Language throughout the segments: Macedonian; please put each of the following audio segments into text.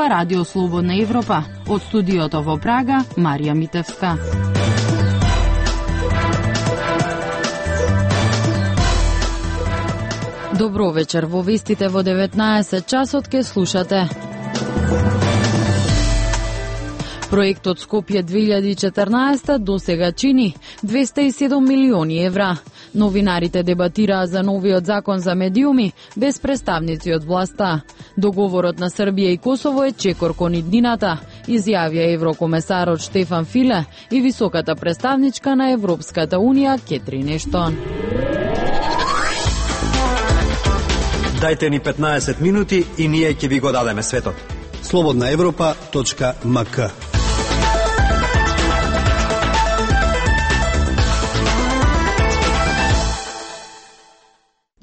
ова Радио Слободна Европа. Од студиото во Прага, Марија Митевска. Добро вечер, во вестите во 19 часот ке слушате. Проектот Скопје 2014 досега чини 207 милиони евра. Новинарите дебатираа за новиот закон за медиуми без представници од власта. Договорот на Србија и Косово е чекор кон иднината, изјавија еврокомесарот Штефан Филе и високата представничка на Европската унија Кетрин Ештон. Дајте ни 15 минути и ние ќе ви го дадеме светот. slobodnaevropa.mk.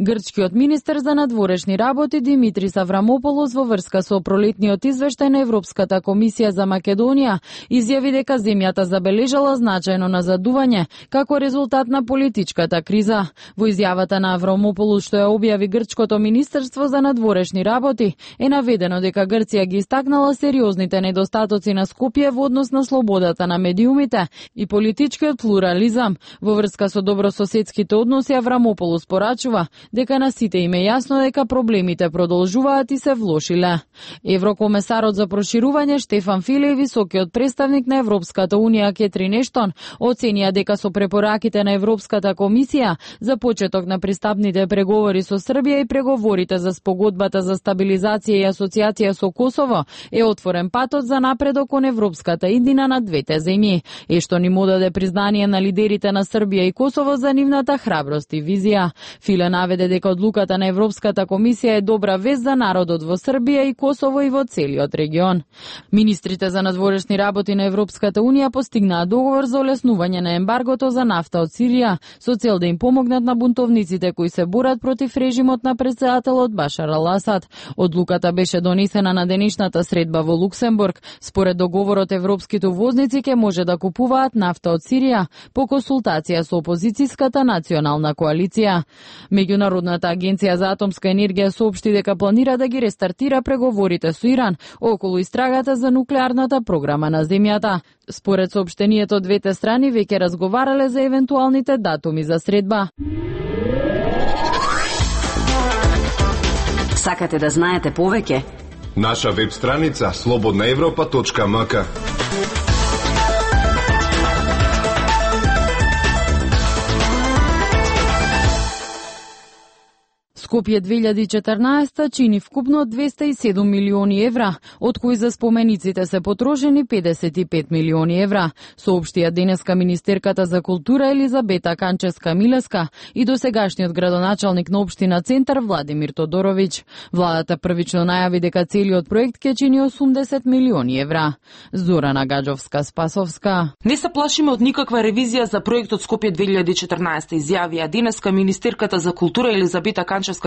Грчкиот министер за надворешни работи Димитрис Аврамополос во врска со пролетниот извештај на Европската комисија за Македонија изјави дека земјата забележала значајно назадување како резултат на политичката криза. Во изјавата на Аврамополос што ја објави Грчкото министерство за надворешни работи е наведено дека Грција ги истакнала сериозните недостатоци на Скопје во однос на слободата на медиумите и политичкиот плурализам. Во врска со добрососедските односи Аврамополос порачува дека на сите им е јасно дека проблемите продолжуваат и се влошиле. Еврокомесарот за проширување Штефан Филе и високиот представник на Европската унија Кетрин Ештон оценија дека со препораките на Европската комисија за почеток на пристапните преговори со Србија и преговорите за спогодбата за стабилизација и асоциација со Косово е отворен патот за напредок кон европската иднина на двете земји. Ештон им одаде признание на лидерите на Србија и Косово за нивната храброст и визија. Филе наведе дека одлуката на Европската комисија е добра вест за народот во Србија и Косово и во целиот регион. Министрите за надворешни работи на Европската унија постигнаа договор за олеснување на ембаргото за нафта од Сирија со цел да им помогнат на бунтовниците кои се борат против режимот на претседателот Башар ал-Асад. Одлуката беше донесена на денешната средба во Луксембург. Според договорот европските увозници ќе може да купуваат нафта од Сирија по консултација со опозицијската национална коалиција. Меѓународната агенција за атомска енергија соопшти дека планира да ги рестартира преговорите со Иран околу истрагата за нуклеарната програма на земјата. Според соопштението, двете страни веќе разговарале за евентуалните датуми за средба. Сакате да знаете повеќе? Наша веб страница slobodnaevropa.mk. Скопје 2014 чини вкупно 207 милиони евра, од кои за спомениците се потрошени 55 милиони евра, соопштија денеска министерката за култура Елизабета Канчевска-Милеска и досегашниот градоначалник на општина Центар Владимир Тодоровиќ. Владата првично најави дека целиот проект ќе чини 80 милиони евра. Зорана Гаджовска-Спасовска. Не се плашиме од никаква ревизија за проектот Скопје 2014, изјавија денеска министерката за култура Елизабета Канчевска-Милеска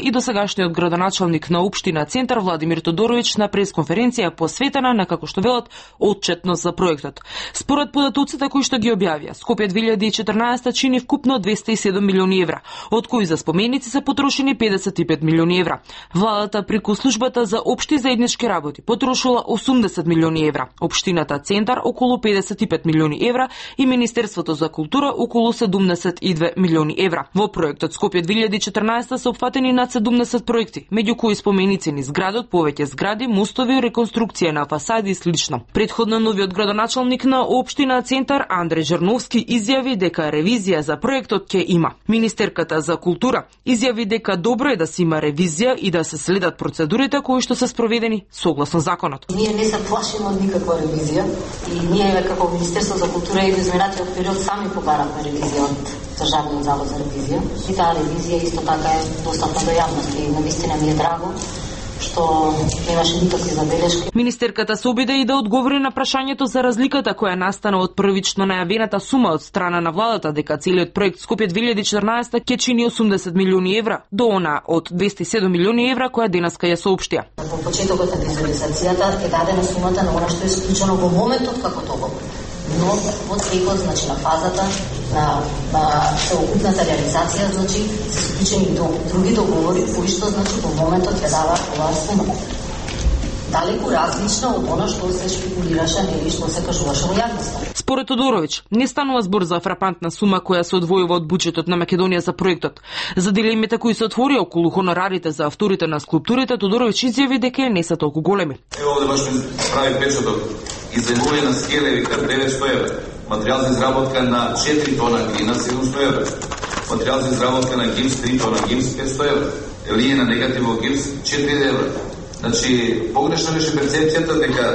и досегашниот градоначалник на општина Центар Владимир Тодоровиќ на пресконференција посветена на, како што велат, отчетност за проектот. Според податоците кои што ги објавија, Скопје 2014 чини вкупно 207 милиони евра, од кои за споменици се потрошени 55 милиони евра. Владата преку службата за општи заеднички работи потрошила 80 милиони евра, општината Центар околу 55 милиони евра и Министерството за култура околу 72 милиони евра. Во проектот Скопје 2014 се опфатени над 70 проекти, меѓу кои споменици низ градот, повеќе згради, мостови, реконструкција на фасади и слично. Предходно новиот градоначалник на општина Центар Андреј Жерновски изјави дека ревизија за проектот ќе има. Министерката за култура изјави дека добро е да се има ревизија и да се следат процедурите кои што се спроведени согласно законот. Ние не се плашиме од никаква ревизија и ние како Министерство за култура и изминатиот период сами побаравме ревизија од Државниот завод за ревизија. И таа ревизија исто така е достапна до јавност и навистина ми е драго што немаше никакви забелешки. Министерката се обиде и да одговори на прашањето за разликата која настана од првично најавената сума од страна на владата дека целиот проект Скопје 2014 ќе чини 80 милиони евра до она од 207 милиони евра која денеска ја соопштија. Во почетокот на визуализацијата е дадена сумата на она што е исклучено во моментот како договор. Но во текот, значи на фазата на целокупната реализација, значи се склучени други договори кои што значи во моментот ќе даваат оваа сума. далеку различна од она што се шпекулираше или што се кажуваше во јавноста. Според Тодороvić, не станува збор за фрапантна сума која се одвојува од буџетот на Македонија за проектот. За дилемите кои се отворија околу хонорарите за авторите на скулптурите, Тодороvić изјави дека не се толку големи. Ево овде баш ми прави печаток. Изајмување на скелеви кај 900 евра. Материјал за изработка на 4 тона глина 700 евра. Материјал за изработка на гипс 3 тона гипс 500 евра. Линија на негативно гипс 4 евра. Значи, погрешна беше перцепцијата дека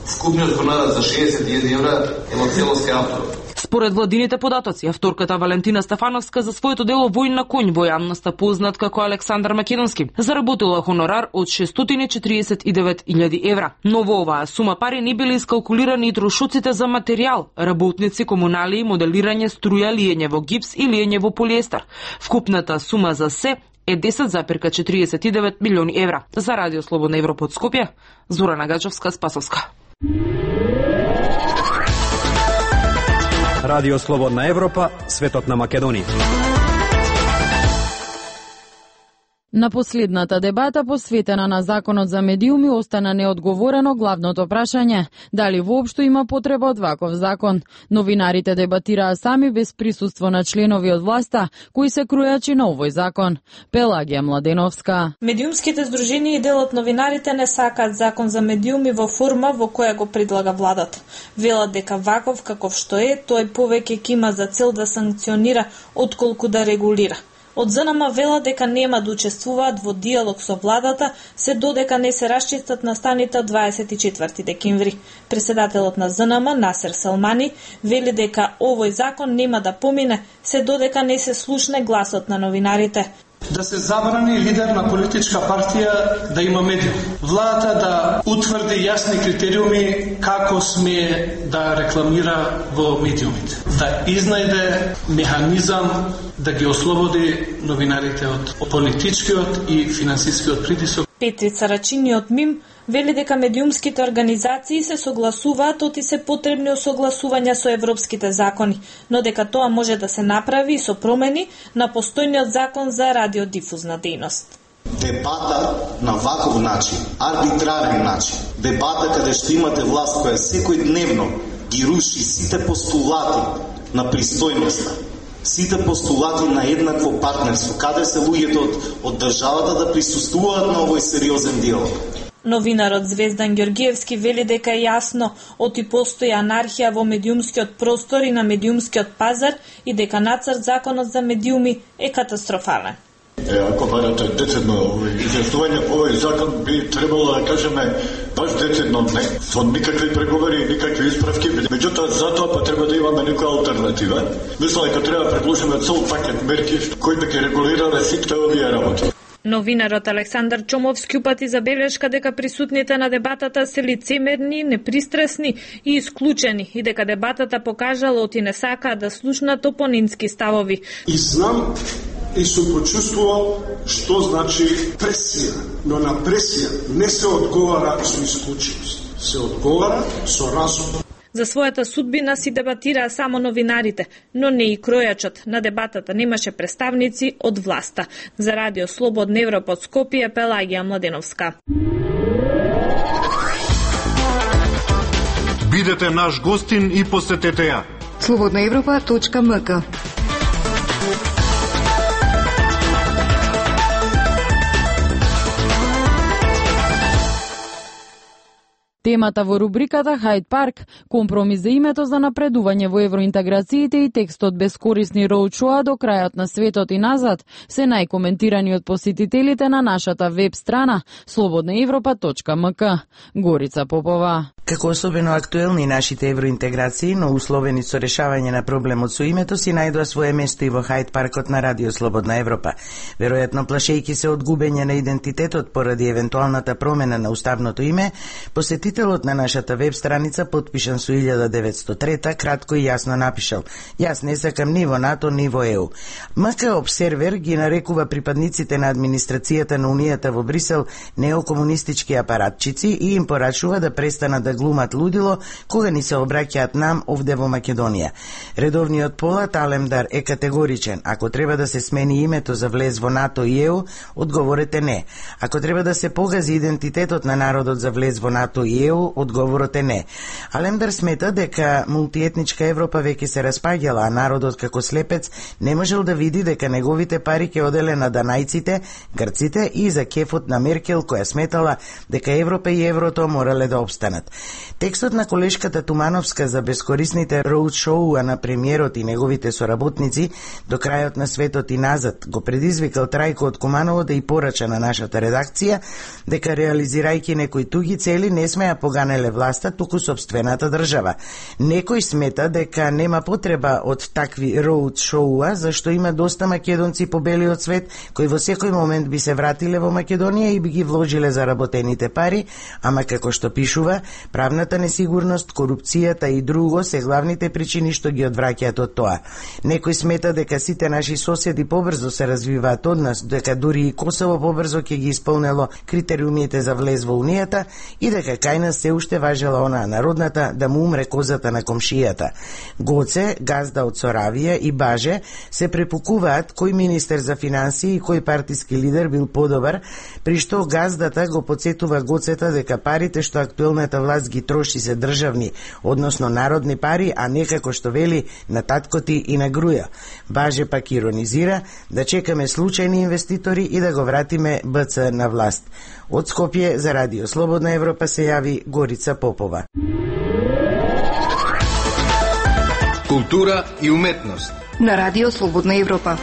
вкупниот хонорар за 61 евра е во целост автор. Според владините податоци, авторката Валентина Стефановска за своето дело Воин на конј во јавноста познат како Александар Македонски заработила хонорар од 649.000 евра. Но во оваа сума пари не били искалкулирани и трошоците за материјал, работници, комуналии, моделирање, струја, лиење во гипс и лиење во полиестер. Вкупната сума за се е 10,49 милиони евра. За Радио Слободна Европа од Скопје, Зорана Гаџовска, Спасовска. Радио Слободна Европа, светот на Македонија. На последната дебата посветена на Законот за медиуми остана неодговорено главното прашање дали воопшто има потреба од ваков закон. Новинарите дебатираа сами без присуство на членови од власта кои се крујачи на овој закон. Пелагија Младеновска. Медиумските здруженија и дел од новинарите не сакаат закон за медиуми во форма во која го предлага владата. Велат дека ваков каков што е, тој повеќе ќе има за цел да санкционира отколку да регулира. Од ЗНМ вела дека нема да учествуваат во диалог со владата, се додека не се расчистат настаните 24 декември. Преседателот на ЗНМ, Насер Салмани, вели дека овој закон нема да помине, се додека не се слушне гласот на новинарите. Да се забрани лидер на политичка партија да има медиум. Владата да утврди јасни критериуми како смее да рекламира во медиумите. Да изнајде механизам да ги ослободи новинарите од политичкиот и финансискиот притисок. Петрица Рачини од МИМ вели дека медиумските организации се согласуваат оти се потребни осогласувања со европските закони, но дека тоа може да се направи со промени на постојниот закон за радиодифузна дејност. Дебата на ваков начин, арбитрарен начин, дебата каде што имате власт која секој дневно ги руши сите постулати на пристојноста, сите постулати на еднакво партнерство, каде се луѓето од државата да присуствуваат на овој сериозен диалог. Новинарот Звездан Ѓоргиевски вели дека е јасно оти постои анархија во медиумскиот простор и на медиумскиот пазар и дека нацрт законот за медиуми е катастрофален. Ако барате децидно изјаснување по овој закон, би требало да кажеме баш децидно не, со никакви преговори, никакви исправки. Меѓутоа, затоа па треба да имаме некоја алтернатива. Мислам дека треба да предложиме цел пакет мерки кои би ги регулирале сите овие работи. Новинарот Александар Чомовски упати забелешка дека присутните на дебатата се лицемерни, непристрасни и исклучени и дека дебатата покажала оти не сакаат да слушнат опонентски ставови. И знам и сум почувствувал што значи пресија, но на пресија не се одговара со исклученост, се одговара со разум. За својата судбина си дебатираа само новинарите, но не и кројачот. На дебатата немаше представници од власта. За Радио Слободна Европа од Скопје, Пелагија Младеновска. Бидете наш гостин и посетете ја. slobodnaevropa.mk. Темата во рубриката Хайд Парк, компромис за името за напредување во евроинтеграциите и текстот Бескорисни роучоа до крајот на светот и назад се најкоментирани од посетителите на нашата веб страна slobodnaevropa.mk. Горица Попова. Како особено актуелни нашите евроинтеграции, но условени со решавање на проблемот со името, си најдоа свое место и во Хайд Паркот на Радио Слободна Европа. Веројатно плашејќи се од губење на идентитетот поради евентуалната промена на уставното име, посетителите Носителот на нашата веб страница, подпишан со 1903, кратко и јасно напишал: "Јас не сакам ни во НАТО, ни во ЕУ." МК Обсервер ги нарекува припадниците на администрацијата на Унијата во Брисел неокомунистички апаратчици и им порачува да престанат да глумат лудило кога ни се обраќаат нам овде во Македонија. Редовниот полат Алемдар е категоричен: ако треба да се смени името за влез во НАТО и ЕУ, одговорот е не. Ако треба да се погази идентитетот на народот за влез во НАТО и ЕУ, одговорот е не. Алемдар смета дека мултиетничка Европа веќе се распаѓала, а народот како слепец не можел да види дека неговите пари ќе оделе на данајците, грците и за кефот на Меркел, која сметала дека Европа и еврото морале да обстанат. Текстот на колешката Тумановска за бескорисните роудшоуа на премиерот и неговите соработници до крајот на светот и назад го предизвикал Трајко од Куманово да и порача на нашата редакција дека реализирајќи некои туги цели не сме ја поганеле власта, туку собствената држава. Некој смета дека нема потреба од такви роудшоуа, зашто има доста македонци по белиот свет кои во секој момент би се вратиле во Македонија и би ги вложиле заработените пари, ама како што пишува, правната несигурност, корупцијата и друго се главните причини што ги одвраќаат од тоа. Некој смета дека сите наши соседи побрзо се развиваат од нас, дека дури и Косово побрзо ќе ги исполнело критериумите за влез во Унијата и дека кај нас се уште важела онаа народната да му умре козата на комшијата. Гоце, газда од Соравија и Баже се препукуваат кој министер за финансии и кој партиски лидер бил подобар, при што газдата го подсетува Гоцета дека парите што актуелната власт ги троши се државни, односно народни пари, а не како што вели на таткоти и на груја. Баже пак иронизира да чекаме случајни инвеститори и да го вратиме БЦ на власт. Од Скопје за Радио Слободна Европа се јави Горица Попова. Култура и уметност на Радио Слободна Европа.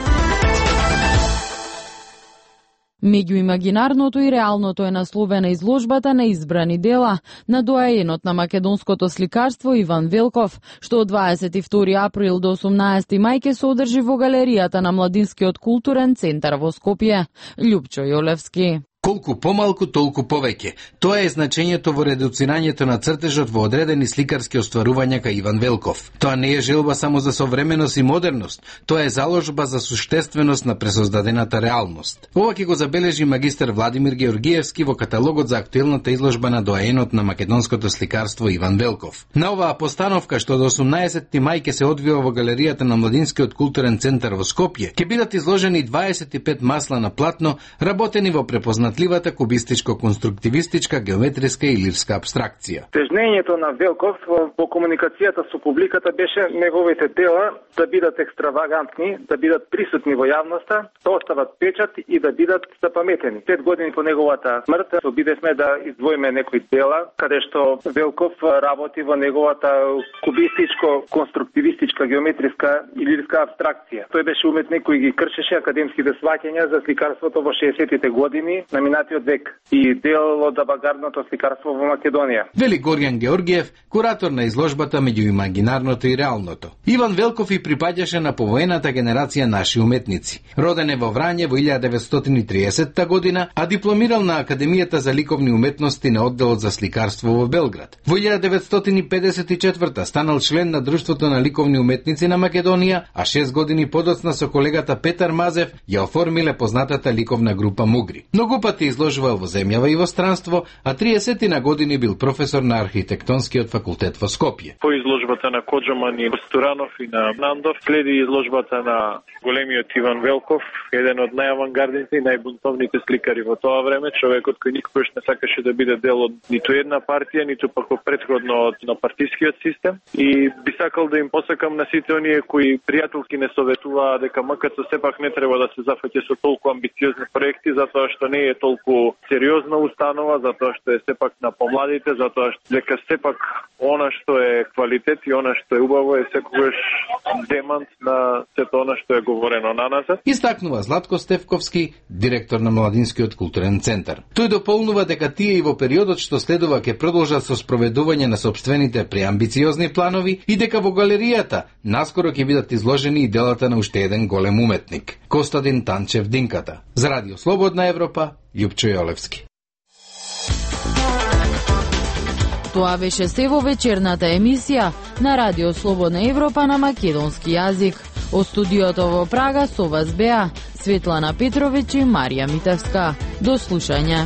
Меѓу имагинарното и реалното е насловена изложбата на избрани дела на доаенот на македонското сликарство Иван Велков, што од 22 април до 18 мај ќе се одржи во галеријата на Младинскиот културен центар во Скопје. Љупчо Јолевски. Колку помалку, толку повеќе. Тоа е значењето во редуцирањето на цртежот во одредени сликарски остварувања кај Иван Велков. Тоа не е желба само за современост и модерност, тоа е заложба за суштественост на пресоздадената реалност. Ова ќе го забележи магистер Владимир Георгиевски во каталогот за актуелната изложба на доаенот на македонското сликарство Иван Велков. На оваа постановка, што до 18 мај ќе се одвива во галеријата на Младинскиот културен центар во Скопје, ќе бидат изложени 25 масла на платно, работени во препознатливата кубистичко-конструктивистичка, геометриска и лирска абстракција. Тежнењето на Велков во комуникацијата со публиката беше неговите дела да бидат екстравагантни, да бидат присутни во јавноста, да остават печат и да бидат запаметени. 5 години по неговата смрт обидевме да издвоиме некои дела каде што Велков работи во неговата кубистичко-конструктивистичка, геометриска и лирска абстракција. Тој беше уметник кој ги кршеше академските сваќања за сликарството во 60-тите години на минатиот век и дел од авангардното сликарство во Македонија. Вели Горјан Георгиев, куратор на изложбата меѓу имагинарното и реалното. Иван Велков и припаѓаше на повоената генерација наши уметници. Роден е во Врање во 1930 година, а дипломирал на Академијата за ликовни уметности на одделот за сликарство во Белград. Во 1954 станал член на Друштвото на ликовни уметници на Македонија, а 6 години подоцна со колегата Петар Мазев ја оформиле познатата ликовна група Мугри. Многу пати изложувал во земјава и во странство, а 30 на години бил професор на архитектонскиот факултет во Скопје. По изложбата на Коджаман и Сторанов и на Нандов следи изложбата на големиот Иван Велков, еден од најавангардните и најбунтовните сликари во тоа време, човекот кој никогаш не сакаше да биде дел од ниту една партија, ниту пак претходно на партискиот систем, и би сакал да им посакам на сите оние кои пријателки не советуваа дека МКЦ сепак не треба да се зафаќа со толку амбициозни проекти, затоа што не е толку сериозна установа, затоа што е сепак на помладите, затоа што дека сепак она што е квалитет и она што е убаво е секогаш демант на сето она што е говорено на нас. Истакнува Златко Стефковски, директор на Младинскиот културен центар. Тој дополнува дека тие и во периодот што следува ќе продолжат со спроведување на сопствените преамбициозни планови и дека во галеријата наскоро ќе бидат изложени и делата на уште еден голем уметник, Костадин Танчев Динката. За Радио Слободна Европа, Љупчо Јолевски. Тоа беше се во вечерната емисија на Радио Слободна Европа на македонски јазик. Од студиото во Прага со вас беа Светлана Петровиќ и Марија Митевска. До слушање.